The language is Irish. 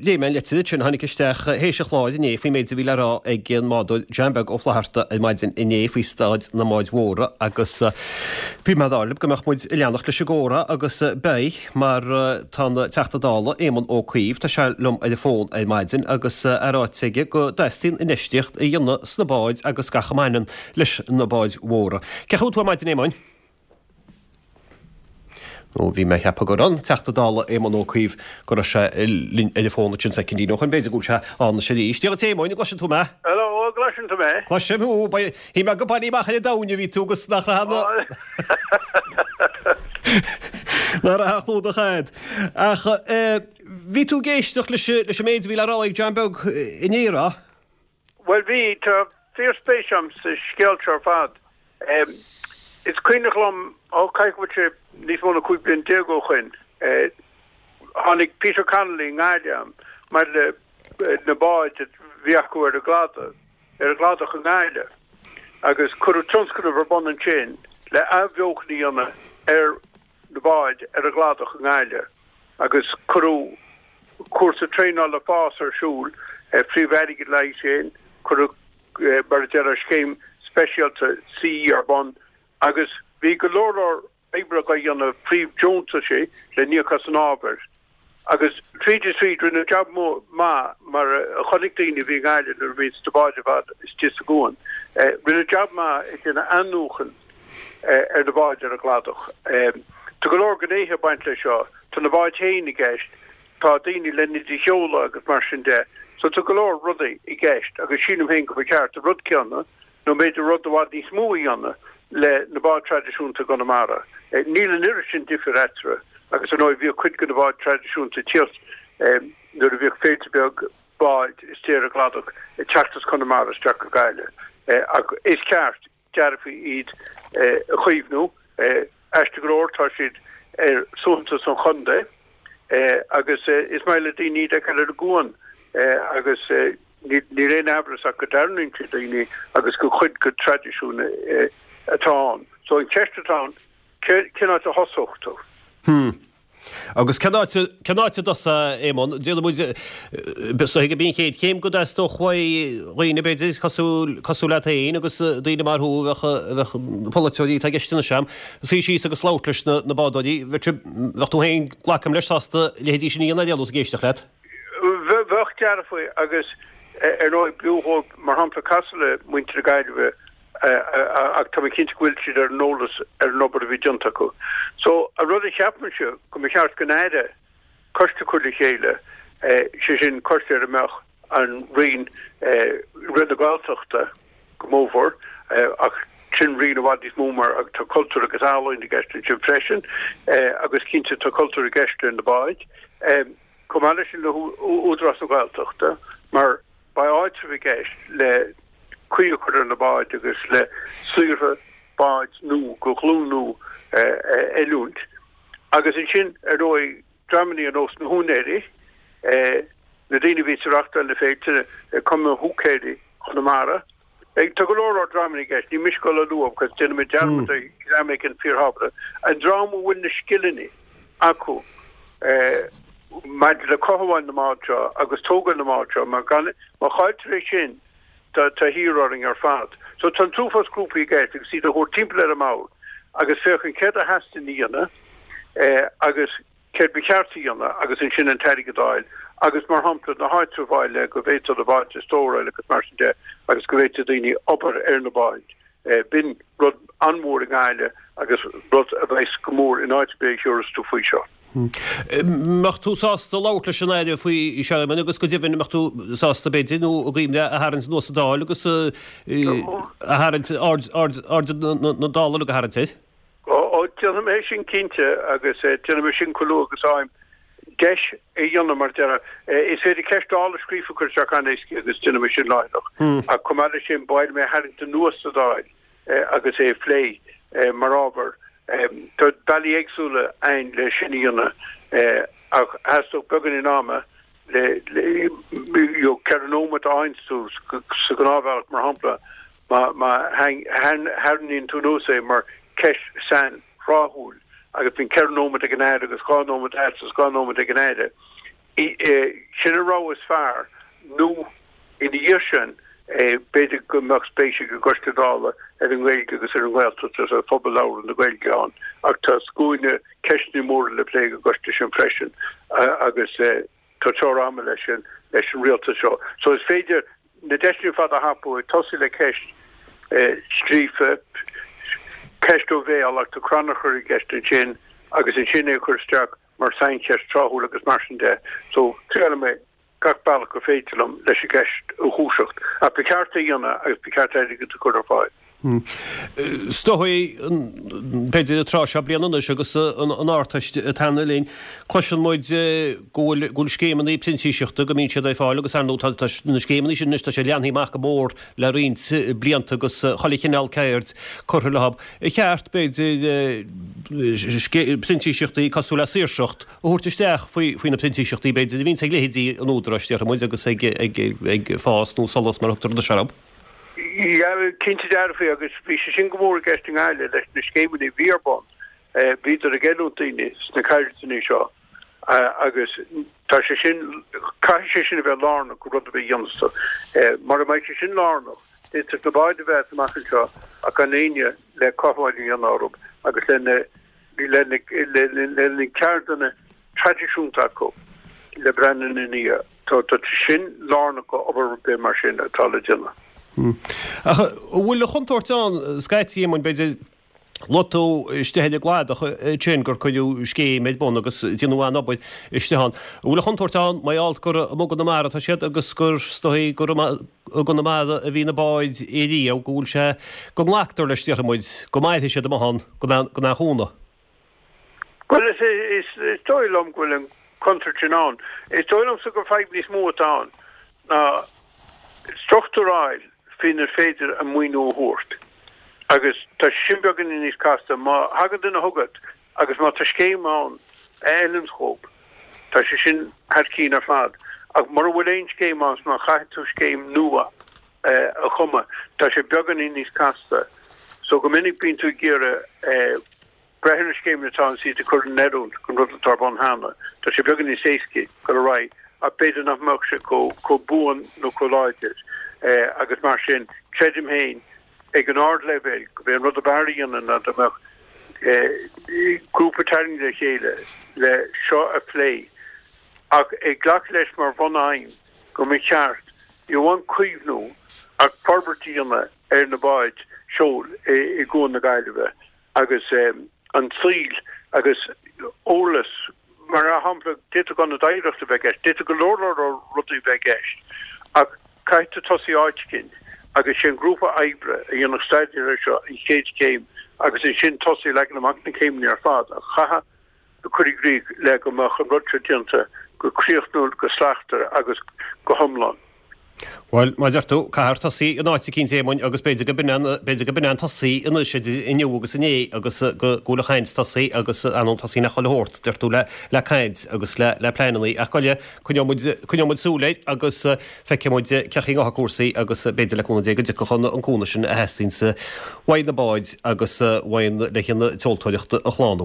Léigh mé an litir ansin a tháinig isteach théis an chláir inné faoin méid a bhí le rá ag an mbádóir John Beag Ó Flatharta ar maidin inné faoi staid na mbád mhóra agus bhí mé ag rá libh go mbeadh muid ag leanacht leis an gcomhrá agus beidh mar tá an Teachta Dála Éamon Ó Cuív, tá sé liom ar an bhfón ar maidin agus é ráite aige go dteastaíonn infheistíocht a dhéanamh sna báid agus gach a mbaineann leis na báid mhóra. Cén chaoi a bhfuil tú ar maidin Éamoin? Nó bhí mé ag ceapadh go raibh an Teachta Dála Éamon Ó Cuív, go raibh sé linn ar an bhfón ansin soicindín ó shoin, b'fhéidir go bhfuil sé ann anois arís. Dia dhuit a Éamoin, an gcloiseann tú mé? Hello, an gcloiseann tú mé? Cloisim thú, shíl mé gur bailithe amach ar an domhain a bhí tú agus nach raibh na. Nach raibh a chlúdach a'd. Ach bhí tú ag éisteacht leis an méid a bhí le rá ag John Beag inné, an raibh? Bhuel bhí, tá fíorspéis a'm sa scéal seo ar fad. Is cuimhneach liom, ó caithfidh go bhfuil sé níos mó ná 15 bliain ó shoin, tháinig Peter Connolly i nGaillimh a'm maidir le na báid a bhí acu ar an gcladach, ar an gcladach i nGaillimh agus cuireadh tionscnamh ar bun ansin le athbheochan a dhéanamh ar na báid ar an gcladach i nGaillimh agus cuireadh cúrsa traenála fás ar siúl, phríomh-airgead le haghaidh sin, cuireadh mar a déarfá scéim speisialta CE ar bun agus bhí go leor leor oibre á dhéanamh príomh-deontaisí le n-íoc as an ábhar. Agus tríd is tríd, rinneadh jab maith, mar a chonaic daoine a bhí i nGaillimh nuair a bhí na báid ar fad istigh sa gcuan, rinneadh jab maith ag déanamh athnuachan ar na báid ar an gcladach. Tá go leor gnéithe ag baint leis seo, tá na báid féin i gceist, tá daoine len iad a sheoladh agus mar sin de. So tá go leor rudaí i gceist agus sílim féin go mba cheart an rud céanna nó b'fhéidir rud i bhfad níos mó a dhéanamh le na báid traidisiúnta i gConamara. Níl an oiread sin difir eatarthu agus ar ndóigh bhíodh cuid de na báid traidisiúnta ag tíocht nuair a bhíodh féilte beag báid istigh ar an gcladach ag teacht as Conamara isteach go Gaillimh. Ach is ceart dearfa iad a chaomhnú. Aisteach go leor tá siad ar suaitheantas an chontae agus is maith le daoine iad a fheiceáil ar an gcuan agus Níl aon amhras ach go dtarraingíonn siad daoine agus gur cuid de traidisiún atá ann. So an cheist atá ann, cén áit a thosódh tú? Hmm. Agus cén áit, cén áit a dtosófá, a Éamonn? Déanfaidh muid, is dóigh gurb í an chéad chéim go dteastódh uaidh dhaoine, b'fhéidir, cosúil, cosúil leat féin agus daoine mar thú a bheadh, a bheadh polaiteoirí atá i gceist anois a'm, suí síos agus labhairt leis na, na bádóirí. Bheadh, bheadh tú féin, glacaim leis, sásta leithéidí sin a dhéanamh ar aon nós ag éisteacht leat. Bheadh dearfa agus ar ndóigh b'fhiú dhóibh mar shampla casadh le muintir na Gaillimhe ach tá mé cinnte go bhfuil siad ar an eolas ar an obair a bhí déanta acu. So an rud a cheapaimse go mba cheart don Aire coiste a chur le chéile, sé sin coiste ar a mbeadh an Roinn, Roinn na Gaeltachta go mórmhór ach sin roinn i bhfad níos mó mar tá cultúr agus ealaín i gceist ansin freisin agus cinnte tá cultúr i gceist ar na báid. Chomh maith leis sin le hÚdarás na Gaeltachta mar beidh áitreabh i gceist le caoi a chur ar na báid agus le saothraithe báid nua de ghlúin nua a oiliúint. Agus ansin ar ndóigh dreamannaí ar nós na húinéirí, na daoine a bhíos ag reachtáil na féilte, Cumann Húicéirí Chonamara. Tá go leor leor dreamanna i gceist, ní miste dul a lua because déanfaidh mé dearmad ar dhream éigin fíorthábhachtach, an dream a bhfuil na scileanna acu maidir le cothabháil na mbád seo agus tógáil na mbád seo mar gan, má chailltear é sin tá thiar orainn ar fad. So tá an t-uafás grúpaí i gceist agus iad a thabhairt timpeall ar an mbord agus féachaint céard a theastaíonn a dhéanamh agus céard ba cheart a dhéanamh agus ansin an t-airgead a fháil agus, mar shampla, na háitribh a fháil le go bhféadfá na báid a stóráil agus mar sin de agus go bhféadfadh daoine obair ar na báid. B'in rud an-mhór i nGaillimh agus rud a bheas go mór in áit ar bith a thiúrfas tú faoi seo. Mbeadh tú sásta labhairt leis an Aire faoi seo, Éamonn, agus go deimhin, mbeadh tú sásta, b'fhéidir, nó i gcuimhne a tharraingt anuas sa Dáil agus a tharraingt aird, aird, aird na Dála uilig a tharraingt air? Ó, déanfaidh mé sin cinnte agus déanfaidh mé sin chomh luath agus a fhaighim deis a dhéanamh mar a déarfá. Is féidir ceist Dála scríofa a chur isteach an-éasca agus déanfaidh mé sin láithreach. Ach chomh maith leis sin, ba mhaith liom é a tharraingt anuas sa Dáil agus é a phlé mar ábhar. Tá bealaí éagsúla ann le sin a dhéanamh ach theastódh beagáinín ama le, le, you know, 4 nóiméad a fhaigheanns tú sa ghnáthbhealach mar shampla. Má tharraingíonn tú anuas é mar cheist sainthráthúil agus bíonn 4 nóiméad ag an Aire agus 2 nóiméad agat agus 2 nóiméad ag an Aire. Sin an rogha is fearr nó ina dhiaidh sin b'fhéidir go mbeadh spéis ag an gCoiste Dála ar an nGaeilge agus ar an nGaeltacht agus ar phobal labhartha na Gaeilge ann ach tá scuaine ceisteanna móra le plé ag an gcoiste sin freisin agus tá teora ama leis sin leis an rialtas seo. So is féidir na deiseanna ar fad a thapú ag tosaí le ceist scríofa, ceist ó bhéal ach tá crannchur i gceist ansin agus ansin é a chur isteach mar saincheist tráthúil agus mar sin de. So triailfidh mé gach bealach gur féidir liom leis an gceist a dhúiseacht. Ach ba cheart é a dhéanamh agus ba cheart airgead a chur ar fáil. Is dóigh, b'fhéidir an tráth seo bliana anois agus an Ardteist ag teannadh linn, cloiseann muid go bhfuil go bhfuil scéimeanna printíseachta go mbíonn siad ar fáil agus ar ndóigh tá na scéimeanna sin anois tá sé leantaí amach go mór le roinnt blianta agus chuile chineál ceird curtha leo. Ar cheart, b'fhéidir, printíseachtaí cosúil le saoirseacht a thabhairt isteach faoi na printíseachtaí, b'fhéidir, a bhíonns ag leithéidí an Údaráis, déarfaidh muid, agus ag Fás nó Solas mar a thugtar anois orthu. Yeah, cinnte dearfa agus bhí sé sin go mór i gceist i nGaillimh leis na scéimeanna a bhí ar bun. Bhíodar ag oiliúint daoine sna ceirdeanna seo agus tá sé sin, caithfidh sé sin a bheith lárnach i rud ar bith a dhéanfas tú. Mura mbeidh sé sin lárnach, d'fhéadfadh na báid a bheith amach anseo ach gan éinne le cothabháil a dhéanamh orthu agus le le na ceirdeanna traidisiúnta acu le breathnú ina ndiaidh. Tá sin lárnach go obair ar bith mar sin atá le déanamh. Ach an bhfuil an chontúirt ann, scaití, Éamoinn, b'fhéidir, Luaigh tú istigh ar an gCladach ansin gur cuireadh scéim ar bun agus déanadh an-obair istigh ann. An bhfuil an chontúirt ann, mar gheall gur amuigh i gConamara atá siad agus gur, is dóigh, gur i gConamara a bhí na báid riamh, go bhfuil sé, go nglactar leis, déarfaidh muid, go mairfidh siad amuigh ann gan aon chúnamh? Bhuel, is dóigh liom go bhfuil an chontúirt sin ann. Is dóigh liomsa gur fadhb níos mó atá ann ná struchtúr a fháil faoinar féidir an maoiniú a thabhairt. Agus tá sé sin beagáinín níos casta. Má thagann duine chugat agus má tá scéim ann a fheileanns dhób, tá sé sin thar cinn ar fad. Ach mura bhfuil aon scéim ann, má chaithfidh tú scéim nua a chumadh, tá sé beagáinín níos casta. So go minic bíonn tú ag iarraidh breith ar na scéimeanna atá ann is iad a chur in oiriúint don rud atá ar bun cheana. Tá sé beagán níos éascaí dul ar aghaidh ach b'fhéidir nach mbeadh sé chomh buan nó chomh láidir agus mar sin creidim féin ag an ardleibhéal gurb é an rud ab fhearr a dhéanamh ná dá mbeadh grúpa tarraingthe le chéile le seo a phlé ach ag glacadh leis mar bhun-aidhm go mba cheart ní amháin caomhnú ach forbairt a dhéanamh ar na báid seoil i gCuan na Gaillimhe. agus an saol agus eolas, mar shampla, d'fhéadfadh ionad oidhreachta a bheith i gceist, d'fhéadfadh go leor leor rudaí a bheith i gceist, ach caithfidh tú tosaí áit eicínt agus sé an grúpa oibre a dhéanfadh staidéar air seo an chéad chéim agus ansin tosaí ag leagan amach na céimeanna ar fad a chaithfear a chur i gcrích le go mbeadh an rud seo déanta go críochnúil, go slachtmhar agus go hiomlán. Bhuel, mar a deir tú, caithfear tosaí in áit eicínt, a Éamoinn, agus b'fhéidir go b'in an, b'fhéidir go b'in an tosaí anois idir inniu agus inné agus go, go bhfuil an chaint tosaithe agus ar ndóigh tosaíonn chuile shórt, deir tú, le, le caint agus le, le pleanannaí. Ach gabh i leith, coinneoidh muid, coinneoidh muid súil air agus feicfidh muid cén chaoi a ngabhfaidh cúrsaí agus b'fhéidir le cúnamh Dé go dtiocfadh an, an cúnamh sin a theastaíonns uaidh na báid agus uaidh le haghaidh an tseoltóireacht a shlánú.